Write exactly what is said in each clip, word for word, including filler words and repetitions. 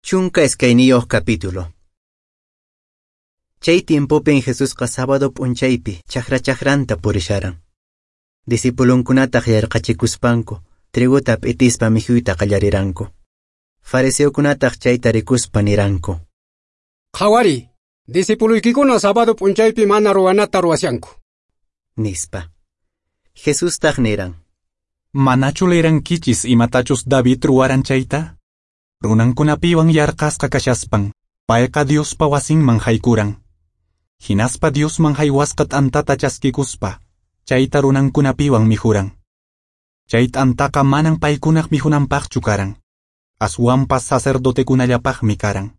Chunka iskayniyuq capítulo. Chay tiempopin Jesusqa sábado p'unchaypi chakra chakranta purisharan. Discipulunkunataq yarqachikuspanku triguta p'itispa mikhuyta qallariranku. Fariseokunataq chayta rikuspa niranku: Qhawari, discipuluykikuna sábado p'unchaypi mana ruwanata ruwashanku, nispa. Jesustaq niran: Manachu leerankichis imatachus David ruwaran chayta? Runankunapiwan yarqasqa kashaspan, payqa Diospa wasinman haykuran. Hinaspa Diosman haywasqa t'antata chaskikuspa, chayta runankunapiwan mikhuran. Chay t'antaqa manan paykunaq mikhunanpaqchu karan, aswanpas sacerdotekunallapaqmi karan.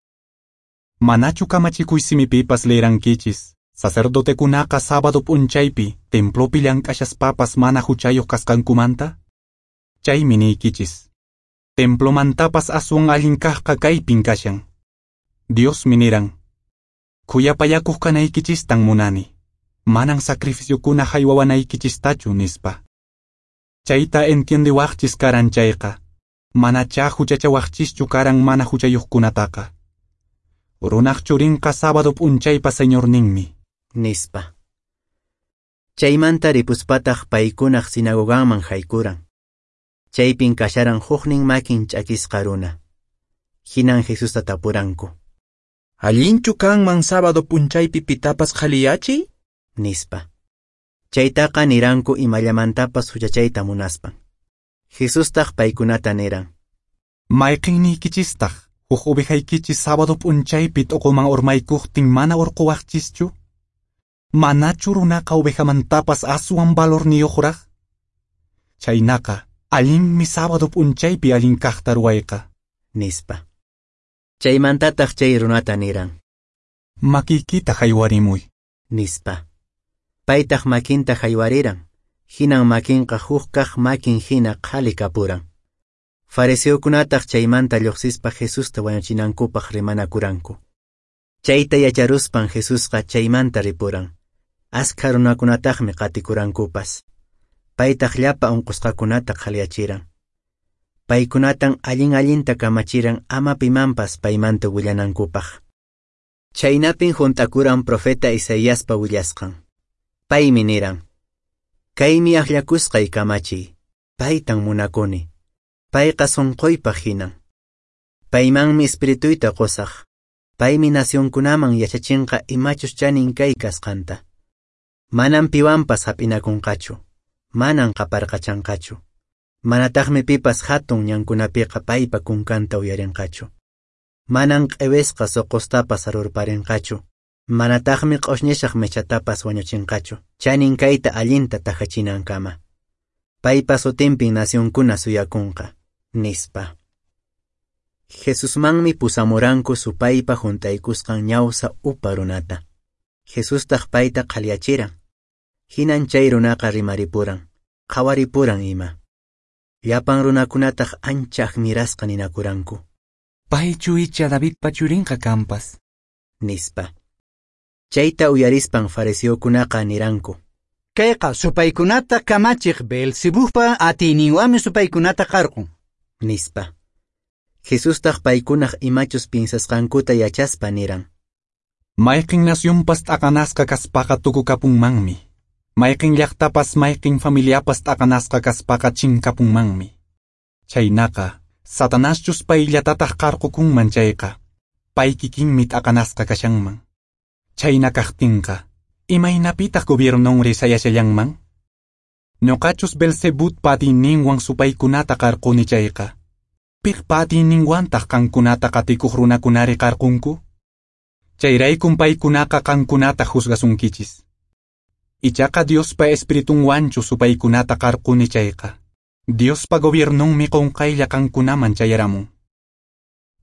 Manachu kamachikuy simipipas leerankichis, sacerdotekunaqa sábado p'unchaypi templopi llank'ashaspapas mana huchayuq kasqankumanta? Chaymi niykichis, templomantapas aswan allin kaqqa kaypin kashan. Diosmi niran: Khuyapayakuq kanaykichistan munani, manan sacrificiokuna haywawanaykichistachu, nispa. Chayta entiendewaqchis karan chayqa, manachá huchachawaqchischu karan mana huchayuqkunataqa. Runaq churinqa sábado p'unchaypa señorninmi, nispa. Chaymanta ripuspataq paykunaq sinagoganman haykuran. Chaypin kasharan huknin makin ch'akisqa runa. Hinan Jesusta tapuranku: Allinchu kanman sábado p'unchaypi pitapas qhaliyachiy? Nispa. Chaytaqa niranku imallamantapas huchachayta munaspan. Jesustaq paykunata niran: Mayqinniykichistaj huk ovejaykichis sábado p'unchaypi t'uquman urmaykuqtin mana urquwaqchischu? Manachu runaqa ovejamantapas aswan valorniyuqraq? Chaynaqa allinmi sábado p'unchaypi allin kaqta ruwayqa, nispa. Chaymantataq chay runata niran: Makiykita haywarimuy, nispa. Paytaq makinta haywariran, hinan makinqa huk kaq makin hina qhali kapuran. Fariseokunataq chaymanta lluqsispa Jesusta wañuchinankupaq rimanakuranku. Chayta yacharuspan Jesusqa chaymanta ripuran. Askha runakunataqmi qatikurankupas. Paytaq llapa unqusqakunata qhaliyachiran. Paykunatan allin allinta kamachiran ama pimanpas paymanta willanankupaq. Chaynapin hunt'akuran profeta Isaiaspa willasqan. Paymi niran: Kaymi akllakusqay kamachiy, paytan munakuni. Payqa sunquypaq hinan. Paymanmi espirituyta qusaq. Paymi nacionkunaman yachachinqa imachus chanin kay kasqanta. Manan piwanpas hap'inakunqachu, manan qaparqachanqachu. Manataqmi pipas hatun ñankunapiqa paypa kunkanta uyarinqachu. Manan q'iwisqa suqustapas arurparinqachu. Manataqmi q'ushñishaq mechatapas wañuchinqachu, chanin kayta allinta tahachinankama. Paypa sutinpin nacionkuna suyakunqa, nispa. Jesusmanmi pusamuranku supaypa hunt'aykusqan ñawsa upa runata. Jesustaq payta qhaliyachiran. Hinan chay runaqa rimaripuran, qhawaripuran ima. Llapan runakunataq ancha admirasqa ninakuranku: Paychu icha Davidpa churinqa kanpas, nispa. Chayta uyarispan fariseokunaqa niranku: Kayqa supaykunata kamachiq Beelzebubpa atiyninwanmi supaykunata qarqun, nispa. Jesustaq paykunaq imachus piensasqankuta yachaspa niran: Mayqin nacionpas t'aqanasqa kaspaqa tukukapunmanmi. Mayqin llaqtapas mayqin familiapas t'aqanasqa kaspaqa chinkapunmanmi. Chaynaqa, Satanaschus payllatataq qarqukunman chayqa, pay kikinmi t'aqanasqa kashanman. Chayna kaqtinqa, imaynapitaq gobiernonri sayashallanman? Ñuqachus Beelzebubpa atiyninwan supaykunata qarquni chayqa, piqpa atiyninwantaq qankunata qatikuq runakunari qarqunku? Chayraykun paykunaqa qankunata juzgasunkichis. Ichaqa Diospa espiritunwanchu supaykunata qarquni chayqa, Diospa gobiernonmi qunqaylla qankunaman chayaramun.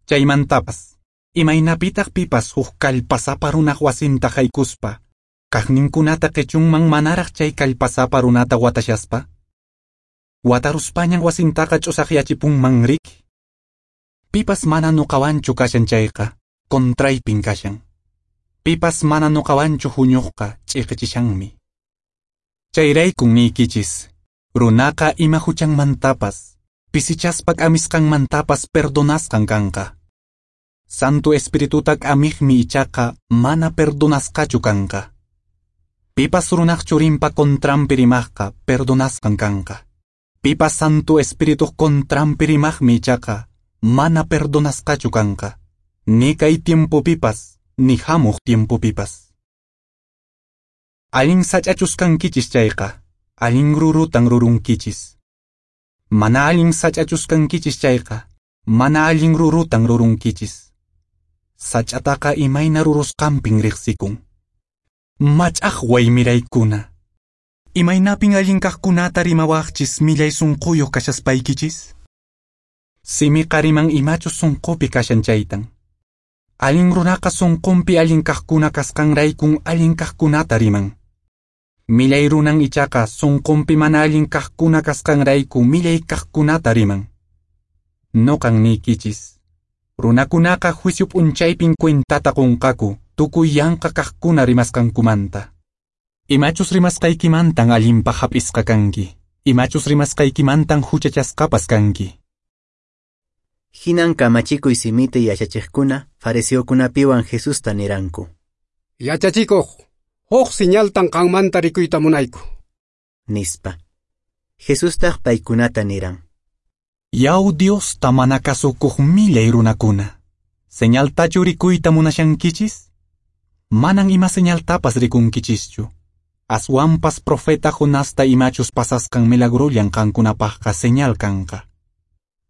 Chaymantapas, imaynapitaq pipas huk kallpasapa runaq wasinta haykuspa, kaqninkunata qichunman manaraq chay kallpasapa runata watashaspa? Wataruspañan wasintaqa ch'usaqyachipunman riki. Pipas mana nuqawanchu kashan chayqa, contraypin kashan. Pipas mana nuqawanchu huñuqqa ch'iqichishanmi. Chayraykun niykichis, runaqa ima huchanmantapas, pisichaspa k'amisqanmantapas perdonasqan kanqa. Santo Espirituta k'amiqmi ichaqa mana perdonasqachu kanqa. Pipas runaq churinpa contranpi rimaqqa perdonasqan kanqa. Pipas Santo Espirituq contranpi rimaqmi ichaqa mana perdonasqachu kanqa. Ni kay tiempopipas, ni hamuq tiempopipas. Allin sach'achus kankichis chayqa, allin rurutan rurunkichis. Mana allin sach'achus kankichis chayqa, mana allin rurutan rurunkichis. Sach'ataqa imayna rurusqanpin riqsikun. Mach'aqway miraykuna. Imaynapin allin kaqkunata rimawaqchis millay sunquyuq kashaspaykichis? Simiqa riman imachus sunqupi kashan chaytan. Allin runaqa sunqunpi allin kaqkuna kasqanraykun allin kaqkunata riman. Millay runan ichaqa sunqunpi mana allin kaqkuna kasqanrayku millay kaqkunata riman. Noqan niykichis. Runakunaqa juicio p'unchaypin cuentata qunqaku tukuy yanqa kaqkuna rimasqankumanta. Imachus rimasqaykimantan allinpaq hap'isqa kanki. Imachus rimasqaykimantan huchachasqapas kanki. Hinan kamachikuy simita yachachiqkuna fariseokunapiwan Jesusta niranku. Yachachikuq, huk señaltan qanmanta rikuyta munayku. Nispa. Jesustaq paykunata niran. Yaw Diosta mana kasukuq millay runakuna. Señaltachu rikuyta munashankichis? Manan ima señaltapas rikunkichischu. Aswanpas profeta Jonasta imachus pasasqan milagrollan qankunapaqqa señal kanqa.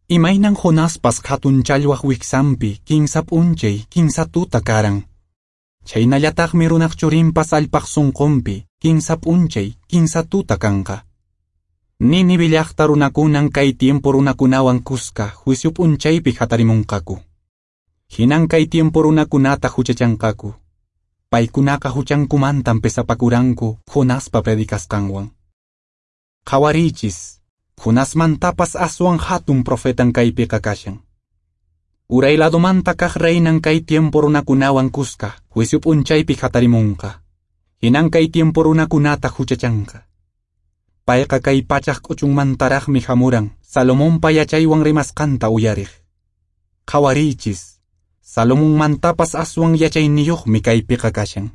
Imaynan Jonaspas hatun challwaq wiksanpi kinsa p'unchay kinsa tuta karan. Chaynallataqmi runaq churinpas allpaq sunqunpi kinsa p'unchay kinsa tuta kanqa. Nínive llaqta runakunan kay tiempo runakunawan kuska juicio p'unchaypi hatarimunqaku. Hinan kay tiempo runakunata huchachanqaku. Paykunaqa huchankumantan pesapakuranku Jonaspa predicasqanwan. Qhawariychis, Jonasmantapas aswan hatun profetan kaypiqa kashan. Uray ladomanta kaq reinan kay tiempo runakunawan kuska juicio p'unchaypi hatarimunqa. Hinan kay tiempo runakunata huchachanqa. Payqa kay pachaq k'uchunmantaraqmi hamuran Salomonpa yachaywan rimasqanta uyariq. Qhawariychis, Salomonmantapas aswan yachayniyuqmi kaypiqa kashan.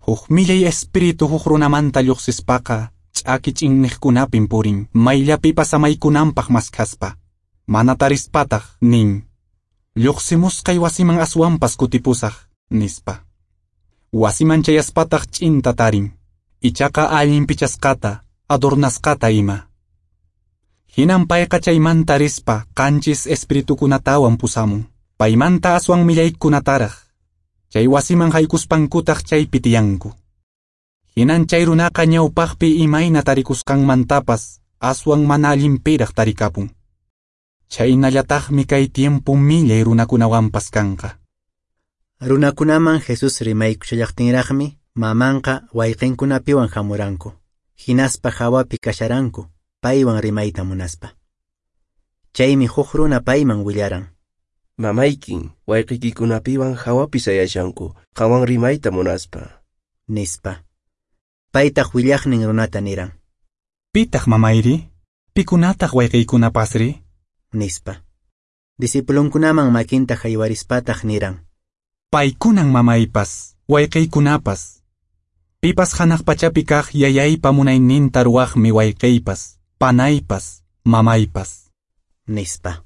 Huk millay espíritu huk runamanta lluqsispaqa ch'aki ch'inniqkunapin purin mayllapipas samaykunanpaq maskhaspa. Mana tarispataq nin. Lluqsimusqay wasiman aswanpas kutipusaq, nispa. Wasiman chayaspataq ch'inta tarin. Ichaqa allin pichasqata, adornasqata ima. Hinan payqa chaymanta rispa qanchis espiritukunatawan pusamun. Paymanta aswan millaykunataraq. Chay wasiman haykuspankutaq chaypi tiyanku. Hinan chay runaqa ñawpaqpi imayna tarikusqanmantapas aswan mana allinpiraq tarikapun. Chaynallataqmi kay tiempo millay runakunawanpas kanqa. Runakunaman Jesús rimaykushallaqtinraqmi mamanqa wayqinkunapiwan hamuranku. Hinaspa hawapi kasharanku, paywan rimayta munaspa. Chaymi huk runa payman willaran. Mamaykin, wayqiykikunapiwan hawapi sayashanku, qanwan rimayta munaspa. Nispa. Paytaq willaqnin runata niran. Pitaq mamayri? Pikunataq wayqiykunapasri? Nispa. Discipulunkunaman makinta haywarispataq niran. Paykunan mamaypas, wayqiykunapas. Pipas hanaq pachapi kaq yayaypa munayninta ruwaqmi wayqiypas, panaypas, mamaypas. Nispa.